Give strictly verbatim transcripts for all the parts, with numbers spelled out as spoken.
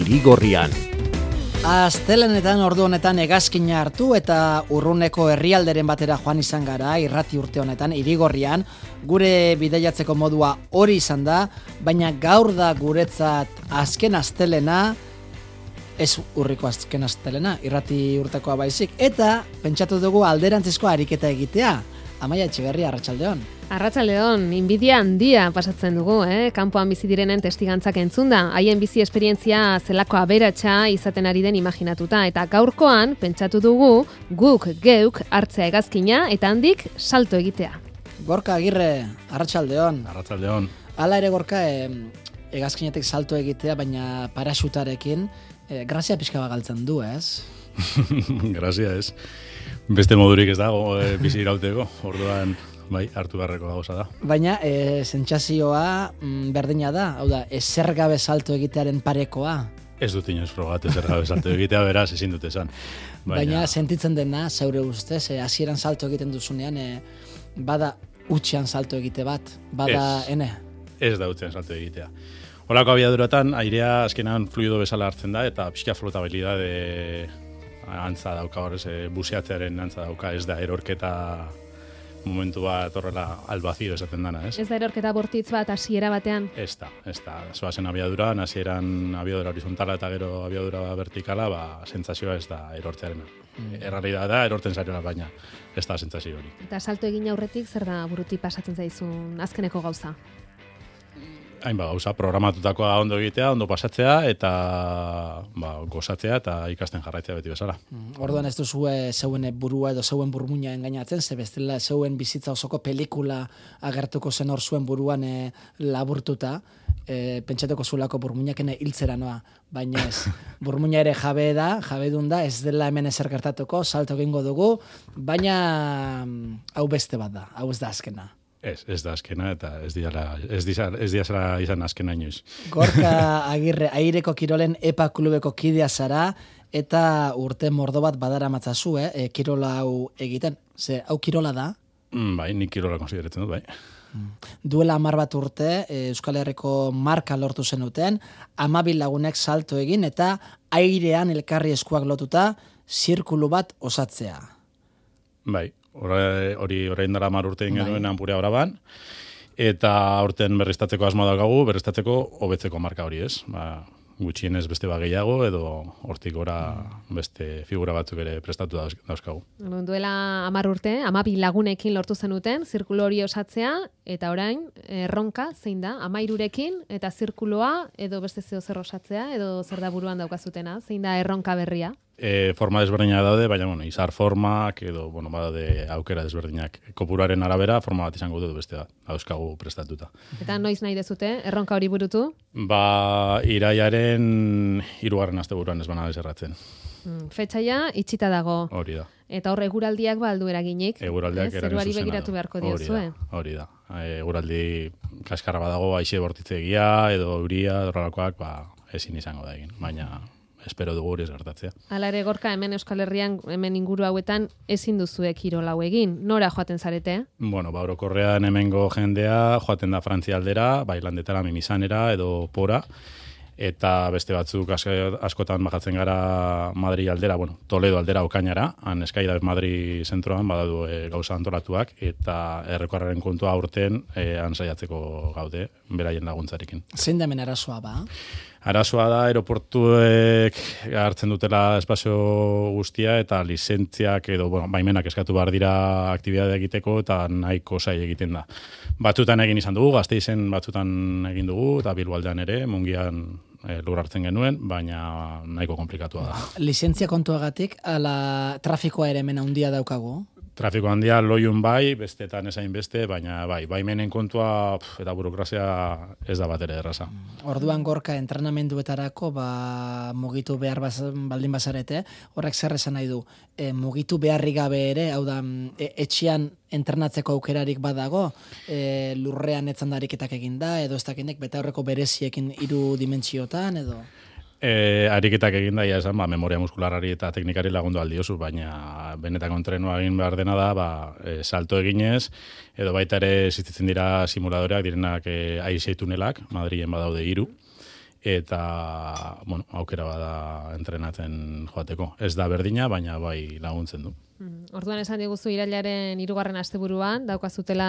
Irigorrian. Astelenetan ordu honetan hegazkina hartu eta urruneko herrialderen batera joan izan gara irrati urte honetan Irigorrian. Gure bidaiatzeko modua hori izan da, baina gaur da guretzat azken astelena, ez urriko azken astelena, irrati urtekoa baizik, eta pentsatu dugu alderantzizko ariketa egitea. Amaia Etxeberria, arratsaldeon. Arratsaldeon, inbidia handia pasatzen dugu, eh? Kanpoan bizi direnen testigantzak entzunda, haien bizi esperientzia zelako aberatsa izaten ari den imaginatuta, eta gaurkoan pentsatu dugu guk geuk hartzea hegazkina eta handik salto egitea. Gorka Agirre, arratsaldeon. Arratsaldeon. Hala ere Gorka, eh, hegazkinetik salto egitea, baina paraxutarekin, eh, grazia pixka bat galtzen du, ez? Grazia ez. Beste modurik ez dago e, bizi irauteko, orduan bai, hartu beharreko gauza da. Baina e, sentsazioa mm, berdina da, hau da, ezer gabe salto egitearen parekoa. Ez dut inoiz frogat ezer gabe salto egitea, beraz, ezin dut esan. Baina, Baina sentitzen dena, zeure ustez, e, hasieran salto egiten duzunean, e, bada utxean salto egite bat, bada ez, ene? Ez da utxean salto egitea. Horako abiaduratan, airea azkenan fluido bezala hartzen da, eta pixka flotabilidade antza dauka horrez, e, buseatzearen antza dauka, ez da erorketa momentu bat horrela albazio esaten dana, ez? Ez da erorketa bortitz bat hasiera batean? Ez da, ez da. Zoazen abiaduran, hasieran abiadura horizontala eta gero abiadura vertikala, ba, sentsazioa ez da erortzearena. Mm. Errealitatea da erorten zaiona, baina ez da sentsazio hori. Eta salto egin aurretik zer da burutik pasatzen zaizun azkeneko gauza? Hainba gauza, programatutakoa ondo egitea, ondo pasatzea, eta ba, gozatzea eta ikasten jarraitzea beti bezala. Mm, orduan ez duzu zeuen burua edo zeuen burmuina engainatzen, ze bestela zeuen bizitza osoko pelikula agertuko zen hor zuen buruan e, laburtuta, e, pentsatuko zulako burmuinakene hiltzera noa, baina ez, burmuina ere jabe da, jabedun da, ez dela hemen ezer gertatuko, salto egingo dugu, baina hau beste bat da, hau ez da azkena. Ez, ez da azkena eta ez diala, ez diala, ez diala izan azkena inoiz. Gorka Agirre, Aireko Kirolen EPA klubeko kidea zara eta urte mordo bat badara matzazu, eh? E, kirola hau egiten. Ze, hau kirola da? Mm, bai, nik kirola konsideratzen dut, bai. Mm. Duela hamar bat urte, e, Euskal Herriko marka lortu zenuten, hamabi lagunek salto egin eta airean elkarri eskuak lotuta zirkulu bat osatzea. Bai. Hori orain dara mar urte genuen Anpurea Oraban, eta aurten berriztatzeko asmoa daukagu, berriztatzeko hobetzeko marka hori, ez? Ba, gutxienez beste bat gehiago, edo hortik gora beste figura batzuk ere prestatu dauzkagu. Duela hamar urte, hamabi lagunekin lortu zenuten, zirkulo hori osatzea, eta orain, erronka, zein da, hamairurekin, eta zirkuloa, edo beste zeo zer osatzea, edo zer da buruan daukazutena, zein da erronka berria? E, forma desberdinak daude, baina bueno, izar formak edo bueno, badaude aukera desberdinak. Kopuruaren arabera forma bat izango dut beste bat, dauzkagu prestatuta. Eta noiz nahi dezute, erronka hori burutu? Ba, iraiaren hirugarren asteburuan ez bana deserratzen. Hmm, fetxaia itxita dago. Hori da. Eta hor eguraldiak ba aldu eraginik. Eguraldiak eh? Zeruari begiratu beharko diozu, eh? Hori da. Eguraldi kaskarra badago, aixe bortitzegia edo euria, horrelakoak, ba, ezin izango da egin. Baina espero dugu hori ez gertatzea. Hala ere Gorka, hemen Euskal Herrian, hemen inguru hauetan, ezin duzuek kirol hau egin. Nora joaten zarete? Bueno, ba, orokorrean hemengo jendea joaten da Frantzia aldera, bailandetara, mimizanera edo pora, eta beste batzuk askotan bajatzen gara Madri aldera, bueno, Toledo aldera Okainara, han eskaida Madri zentroan badadu e, gauza antolatuak, eta errekorraren kontua aurten e, han saiatzeko gaude, beraien laguntzarekin. Zein da hemen arazoa ba? Arazoa da aeroportuek hartzen dutela espazio guztia eta lizentziak edo bueno, baimenak eskatu behar dira aktibitatea egiteko eta nahiko zail egiten da. Batzutan egin izan dugu, Gasteizen batzutan egin dugu eta Bilboaldean ere, Mungian e, lur hartzen genuen, baina nahiko komplikatua da. Lizentzia kontuagatik, ala trafikoa ere hemen handia daukagu? Trafiko handia loiun bai, bestetan esain beste, baina bai, baimenen kontua pf, eta burokrazia ez da bat ere erraza. Orduan Gorka entrenamenduetarako ba, mugitu behar baz, baldin bazarete, horrek zer esan nahi du, e, mugitu beharrik gabe ere, hau da, e, etxean entrenatzeko aukerarik badago, e, lurrean etzandariketak eginda, edo ez dakinek beta horreko bereziekin hiru dimentsiotan, edo... E, ariketak egin da, ja esan, ba, memoria muskularari eta teknikari lagundu aldiozu, baina benetako entrenua egin behar dena da, ba, e, salto eginez, edo baita ere existitzen dira simuladoreak, direnak e, aize tunelak, Madrilen badaude hiru, eta, bueno, aukera bada entrenatzen joateko. Ez da berdina, baina bai laguntzen du. Orduan esan diguzu irailaren hirugarren asteburuan daukazutela,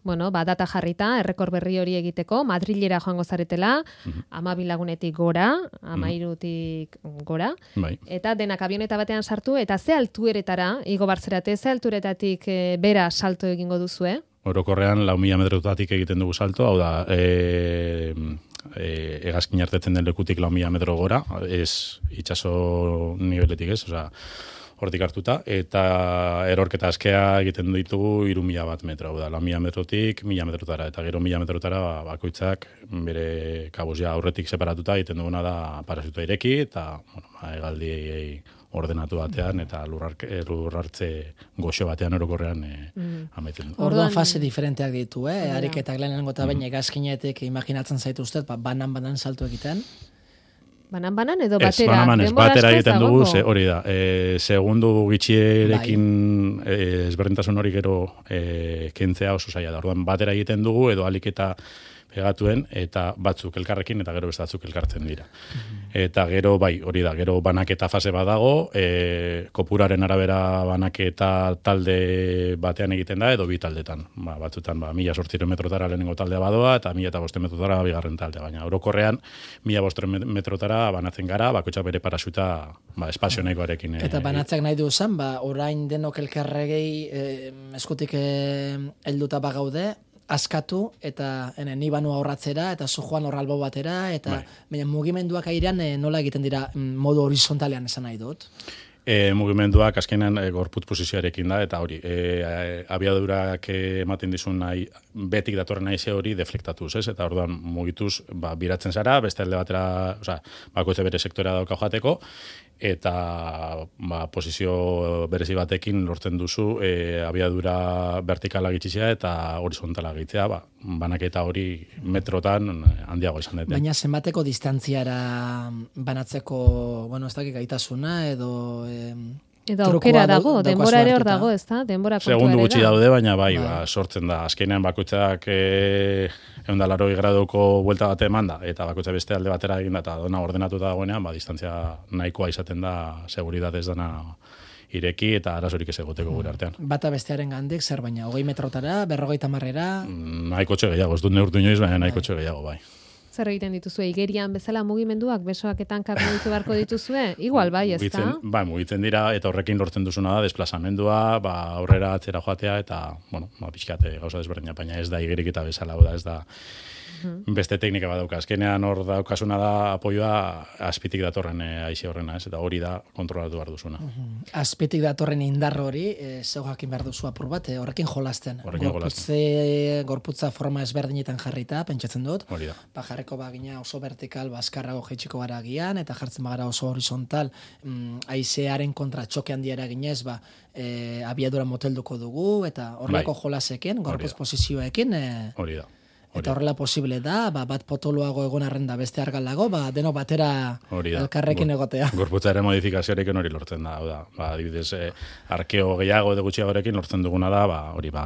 bueno, ba data jarrita, errekor berri hori egiteko, Madrilera joango zaretela, hamabi lagunetik gora, hamairutik gora, bai. Eta denak avioneta batean sartu, eta ze altueretara, igo barzerate, ze alturetatik e, bera salto egingo duzue? Orokorrean, lau mila metrotatik egiten dugu salto, hau da, e, e, hegazkin artetzen den lekutik lau mila metro gora, ez itxaso niveletik ez, osea, hortik hartuta, eta erorketa askea egiten ditugu hiru mila bat metro, da, lau mila metrotik, mila metrotara, eta gero mila metrotara ba, bakoitzak bere kabuz ja aurretik separatuta egiten duguna da parasuta ireki, eta bueno, ba, hegaldi ordenatu batean, eta lurrartze goxo batean orokorrean e, mm. amaitzen du. Orduan fase diferenteak ditu, eh? Ariketak lehenengo eta baina egazkinetik imaginatzen zaitu ustez, ba, banan-banan salto egiten. Banan-banan edo batera? Ez, banan-banan, ez, batera egiten dugu, ze, hori da, e, segundu gitxierekin bai. e, ezberdintasun hori gero e, kentzea oso zaila da. Orduan, batera egiten dugu, edo alik eta pegatuen, eta batzuk elkarrekin, eta gero beste batzuk elkartzen dira. Mm-hmm. Eta gero, bai, hori da, gero banaketa fase badago, e, kopuraren arabera banaketa talde batean egiten da, edo bi taldetan. Ba, batzutan, ba, mila sortziren metrotara lehenengo taldea badoa, eta mila eta bosten metrotara bigarren taldea. Baina, orokorrean, mila bosten metrotara banatzen gara, bakoitza bere parasuta ba, espazio nahikoarekin. Eta banatzeak nahi du zen, ba, orain denok elkarregei eh, eskutik eh, helduta bagaude, askatu eta ene, ni banua horratzera eta zu joan horralbo batera eta bai. Baina mugimenduak airean e, nola egiten dira modu horizontalean esan nahi dut? E, mugimenduak azkenean e, gorputz posizioarekin da eta hori e, abiadurak ematen dizun nahi betik datorren nahi hori deflektatuz, ez? Eta orduan mugituz ba, biratzen zara, beste alde batera, osea, bakoitze bere sektorea dauka joateko, eta ba, posizio berezi batekin lortzen duzu e, abiadura vertikala gitxizea eta horizontala gitzea, ba, banaketa hori metrotan handiago izan dute. Baina zenbateko distantziara banatzeko, bueno, ez dakik gaitasuna edo... E... Edo aukera dago, denbora ere hor dago, ez da? Denbora kontua ere da. Segundu gutxi daude, baina bai, bai. Ba, sortzen da. Azkenean bakoitzak e, ehun eta laurogei graduko buelta bate eman da, eta bakoitza beste alde batera egin da, eta dona ordenatuta dagoenean, ba, distantzia nahikoa izaten da, seguridadez dana ireki, eta arazorik ez egoteko gure artean. Bata bestearen gandik, zer baina, hogei metrotara, berrogeita marrera? Nahiko txe gehiago, ez dut neurtu inoiz, baina nahiko txe gehiago, bai. Zer egiten dituzue, igerian bezala mugimenduak, besoak eta hankak mugitu beharko dituzue? Igual, bai, ez da? Bai, mugitzen dira, eta horrekin lortzen duzuna da, desplazamendua, ba, aurrera atzera joatea, eta, bueno, ba, pixkate gauza desberdina, baina ez da igerik eta bezala, da, ez da, beste teknika bat dauka. Azkenean hor daukasuna da apoioa azpitik datorren e, aixe horrena, ez? Eta hori da kontrolatu behar duzuna. Azpitik datorren indar hori, e, zeu jakin behar duzu apur bat, e, horrekin jolasten. Horrekin Gorputze, jolasten. Gorputza forma ezberdinetan jarrita, pentsatzen dut. Hori da. Ba, jarreko bagina oso vertikal, bazkarrago jaitsiko gara agian, eta jartzen bagara oso horizontal, mm, aizearen kontra txoke handiara ginez, ba, e, abiadura motelduko dugu, eta horrelako bai. Jolasekin, gorputz posizioekin, e, hori da. Eta horrela posible da, ba, bat potoloago egon arren da beste argalago, ba, deno batera elkarrekin egotea. Gorputzaren modifikazioarekin hori lortzen da, da. Ba, adibidez, eh, arkeo gehiago edo gutxiagorekin lortzen duguna da, ba, hori, ba,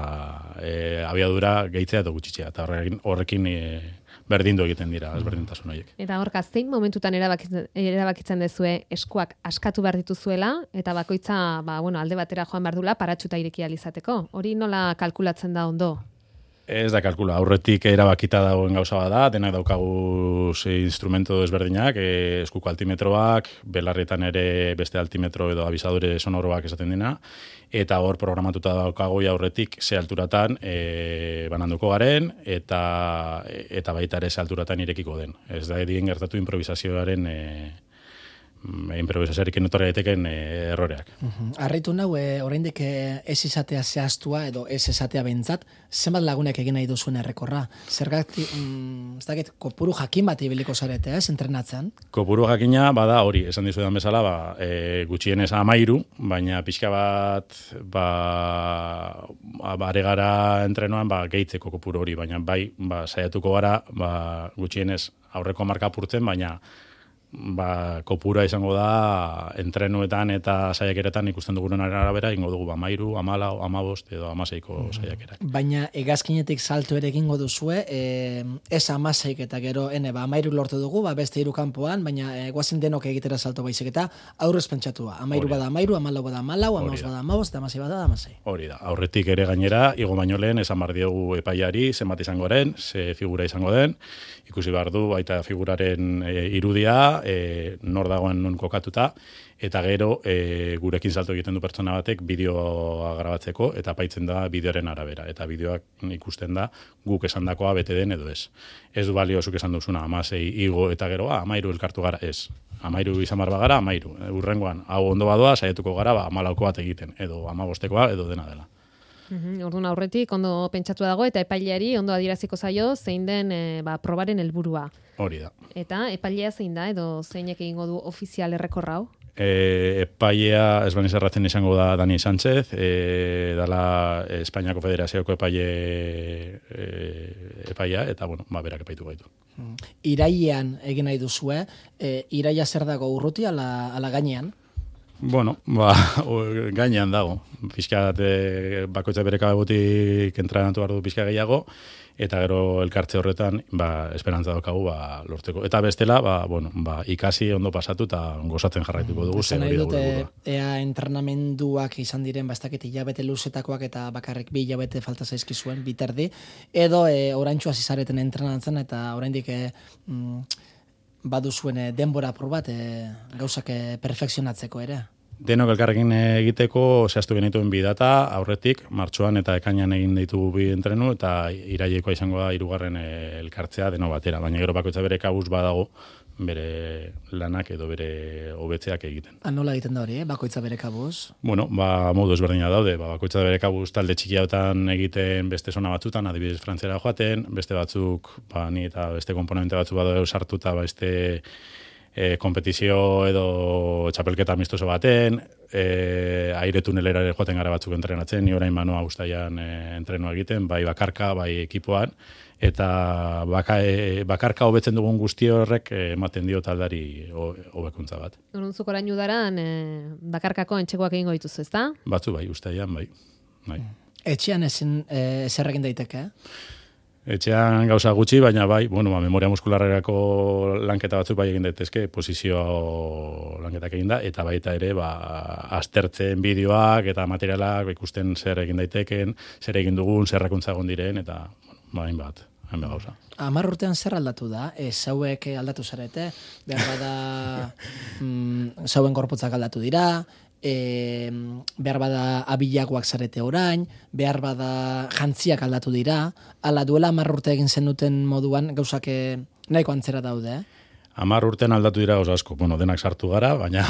eh, abiadura gehitzea edo gutxitzea, eta horrekin, horrekin eh, berdindu egiten dira, ezberdintasun horiek. Eta horka, zein momentutan erabakitzen, erabakitzen dezue eskuak askatu behar dituzuela, eta bakoitza, ba, bueno, alde batera joan behar dula, paratxuta ireki alizateko. Hori nola kalkulatzen da ondo? Ez da kalkula, aurretik erabakita dagoen gauza bada, denak daukagu ze instrumento desberdinak, e, eskuko altimetroak, belarretan ere beste altimetro edo abisadore sonoroak esaten dina, eta hor programatuta daukagu aurretik ze alturatan e, bananduko garen, eta, eta baita ere ze alturatan irekiko den. Ez da edien gertatu improvisazioaren e, improvisazioarekin etorri daiteken e, erroreak. Harritu uh-huh. nau, e, oraindik ez izatea zehaztua edo ez esatea behintzat, zenbat lagunek egin nahi duzuen errekorra? Zergatik, mm, ez dakit, kopuru jakin bat ibiliko zarete, ez, entrenatzen? Kopuru jakina, bada hori, esan dizuetan bezala, ba, e, gutxienez amairu, baina pixka bat, ba, bare gara entrenoan, ba, gehitzeko kopuru hori, baina bai, ba, saiatuko gara, ba, gutxienez aurreko marka apurtzen, baina ba, kopura izango da entrenuetan eta saiakeretan ikusten dugunen arabera ingo dugu ba mairu, amalau, amabost edo amaseiko saiakerak. Baina hegazkinetik salto ere egingo duzue, e, ez amaseik eta gero ene ba amairu lortu dugu, ba beste hiru kanpoan, baina e, guazen denok egitera salto baizik eta aurrez pentsatua. Amairu bada amairu, amalau bada amalau, amabost bada amabost, eta amasei bada amasei. Hori da. Aurretik ere gainera, igo baino lehen esan bar diogu epaiari zenbat izango den, ze figura izango den, ikusi behar du baita figuraren e, irudia, e, nor dagoen nun kokatuta, eta gero e, gurekin salto egiten du pertsona batek bideoa grabatzeko, eta paitzen da bideoren arabera, eta bideoak ikusten da guk esandakoa bete den edo ez. Ez du balio zuk esan duzuna, amasei igo eta gero, ah, amairu elkartu gara, ez. Amairu izan bar bagara, amairu. Urrengoan, hau ondo badoa, saietuko gara, ba, amalauko bat egiten, edo amabostekoa, edo dena dela. Uhum, orduan aurretik ondo pentsatu dago eta epaileari ondo adieraziko zaio zein den e, ba, probaren helburua. Hori da. Eta epailea zein da edo zeinek egingo du ofizial errekorra hau? E, epailea, ez baniz erratzen izango da Dani Sánchez, e, dala Espainiako Federazioko epaile e, epailea, eta bueno, ba, berak epaitu gaitu. Irailean egin nahi duzue, e, iraila zer dago urruti ala, ala gainean? Bueno, ba, gainean dago. Pixkat bakoitza bere kabegutik entrenatu behar du pixka gehiago, eta gero elkartze horretan ba, esperantza daukagu ba, lortzeko. Eta bestela, ba, bueno, ba, ikasi ondo pasatu eta gozatzen jarraituko dugu. Zer nahi dute, ea entrenamenduak izan diren, bastakit hilabete luzetakoak eta bakarrik bi hilabete falta zaizkizuen, biterdi, edo e, oraintxua zizareten entrenatzen eta oraindik e, mm, baduzuen denbora apur bat e, gauzak e, perfekzionatzeko ere. Denok elkarrekin egiteko zehaztu genituen bi data, aurretik, martxoan eta ekainan egin ditugu bi entrenu, eta irailekoa izango da hirugarren elkartzea deno batera, baina gero bakoitza bere kabuz badago bere lanak edo bere hobetzeak egiten. Ah, nola egiten da hori, eh? Bakoitza bere kabuz? Bueno, ba, modu ezberdina daude, ba, bakoitza bere kabuz talde txikiagotan egiten beste zona batzutan, adibidez Frantziara joaten, beste batzuk, ba, ni eta beste komponente batzuk badago sartuta, ba, beste E, kompetizio edo txapelketa amistoso baten, e, aire tunelera ere joaten gara batzuk entrenatzen, ni orain manua guztaian e, entrenoa egiten, bai bakarka, bai ekipoan, eta baka, e, bakarka hobetzen dugun guzti horrek e, ematen dio taldari hobekuntza bat. Oruntzuk orain udaran e, bakarkako entxekoak egingo dituzu, ezta? Batzu bai, guztaian, bai. bai. Etxean ezin e, zer egin daiteke, eh? Etxean gauza gutxi, baina bai, bueno, ba, memoria muskularrerako lanketa batzuk bai egin daitezke, posizio lanketak egin da, eta baita ere, ba, aztertzen bideoak eta materialak ikusten zer egin daiteken, zer egin dugun, zerrakuntza egon diren, eta, bueno, ba, hainbat, hainbat gauza. Hamar urtean zer aldatu da? E, zauek aldatu zarete, behar bada mm, zauen gorputzak aldatu dira, E, behar bada abilagoak zarete orain, behar bada jantziak aldatu dira, ala duela hamar urte egin zenuten moduan gauzak nahiko antzera daude, eh? Hamar urtean aldatu dira gauza asko, bueno, denak sartu gara, baina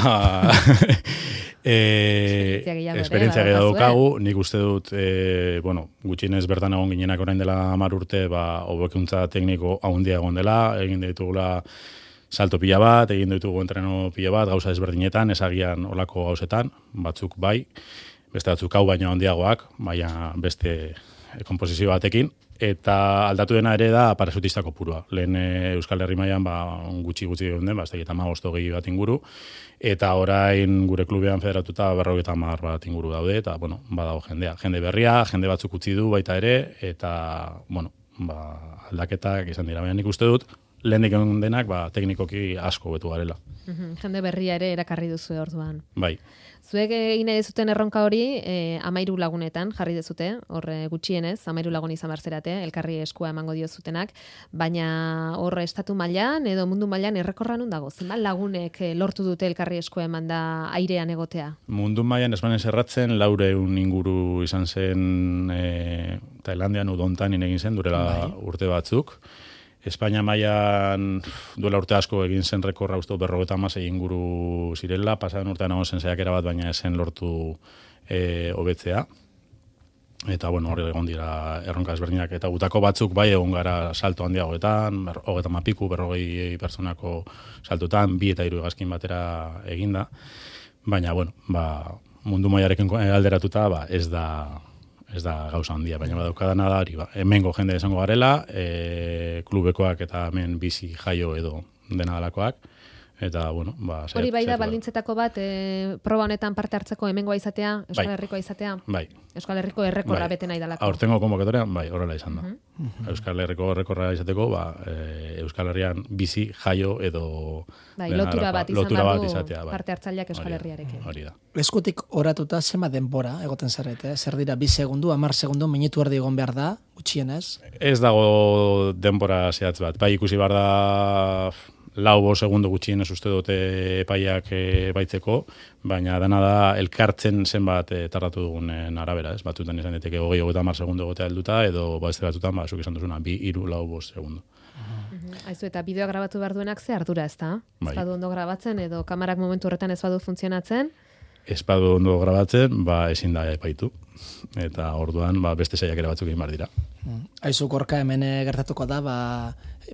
e, esperientzia gehiago daukagu, nik uste dut, e, bueno, gutxienez bertan egon ginenak orain dela hamar urte, ba, hobekuntza tekniko haundia egon dela, egin ditugula salto pila bat, egin ditugu entreno pila bat, gauza ezberdinetan, ezagian olako gauzetan, batzuk bai, beste batzuk hau baino handiagoak, baina beste komposizio batekin, eta aldatu dena ere da parasutista kopurua. Lehen Euskal Herri mailan ba, gutxi gutxi egon den, ba, ez da eta hamabost hogei bat inguru, eta orain gure klubean federatuta berrogeita hamar bat inguru daude, eta bueno, badago jendea. Jende berria, jende batzuk utzi du baita ere, eta bueno, ba, aldaketak izan dira, baina nik uste dut, lehendik egon denak, ba, teknikoki asko betu garela. Uhum, jende berria ere erakarri duzu orduan. Bai. Zuek egin nahi dezuten erronka hori, eh, amairu lagunetan jarri dezute, horre gutxienez, amairu lagun izan barzerate, elkarri eskua emango dio zutenak, baina horre estatu mailan edo mundu mailan errekorra nun dago? Zenbat lagunek lortu dute elkarri eskua eman da airean egotea? Mundu mailan esbanen erratzen, laureun inguru izan zen e, Tailandian udontan egin zen, durela bai. Urte batzuk. Espainia mailan duela urte asko egin zen rekorra uste berrogeita hamasei inguru zirela, pasaden urtean egon zen saiakera bat, baina esen lortu e, hobetzea. Eta, bueno, hori egon dira erronka ezberdinak, eta gutako batzuk bai egon gara salto handiagoetan, hogeita mapiku, berrogei pertsonako saltutan, bi eta hiru hegazkin batera eginda. Baina, bueno, ba, mundu mailarekin alderatuta, ba, ez da... ez da gauza handia, baina badaukadana da hori, ba, hemengo jende esango garela, e, klubekoak eta hemen bizi jaio edo dena dalakoak, Eta, bueno, ba... Hori bai da, baldintzetako bat, e, proba honetan parte hartzeko hemengoa izatea, Euskal bai. Herrikoa izatea? Bai. Euskal Herriko errekorra bai. Bete nahi dalako. Aurtengo konbokatorean, bai, horrela izan da. Uh -huh. Euskal Herriko errekorra izateko, ba, e, Euskal Herrian bizi, jaio edo... Bai, lotura bat izan lotura bat du izatea, bai. parte hartzaileak Euskal Herriarekin. Hori da. Eskutik oratuta zema denbora egoten zarete, zer dira, bi segundu, hamar segundu, minutu erdi egon behar da, gutxienez? Ez dago denbora zehatz bat, bai ikusi behar da... lau bo segundo gutxienez uste dute epaiak e, baitzeko, baina dena da elkartzen zenbat e, tardatu dugunen arabera, ez? Batzutan izan diteke hogei hogeita hamar segundo egotea helduta, edo beste batzutan, ba, zuk esan duzuna, bi, hiru, lau, bost segundo. Uh-huh. Aizu, eta bideoa grabatu behar duenak ze ardura, ez da? Bai. Ez badu ondo grabatzen, edo kamarak momentu horretan ez badu funtzionatzen? Ez badu ondo grabatzen, ba, ezin da epaitu. Eta orduan, ba, beste saiakera batzuk egin behar dira. Aizu, Gorka, hemen gertatuko da, ba,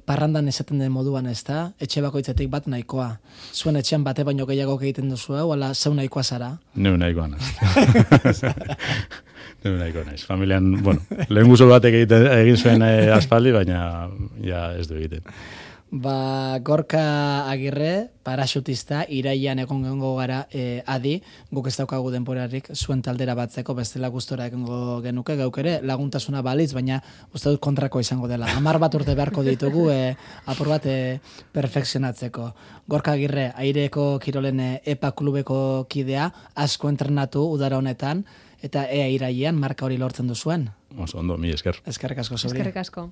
parrandan esaten den moduan, ez da? Etxe bakoitzetik bat nahikoa. Zuen etxean bate baino gehiago egiten duzu, hau, ala zeu nahikoa zara? Neu nahikoa naiz. Neu nahikoa naiz. Familian, bueno, lehen guzo batek egiten, egin zuen eh, aspaldi, baina ja ez du egiten. Ba, Gorka Agirre, paraxutista, iraian egon gengo gara e, adi, guk ez daukagu denporarik zuen taldera batzeko, bestela gustora egongo genuke, gauk ere laguntasuna balitz, baina uste dut kontrako izango dela. Hamar bat urte beharko ditugu, e, apur bat e, perfekzionatzeko. Gorka Agirre, Aireko Kirolen e, EPA klubeko kidea, asko entrenatu udara honetan, eta ea iraian marka hori lortzen duzuen. Oso ondo, mi esker. Eskerrik asko, Zuri. Eskerrik asko.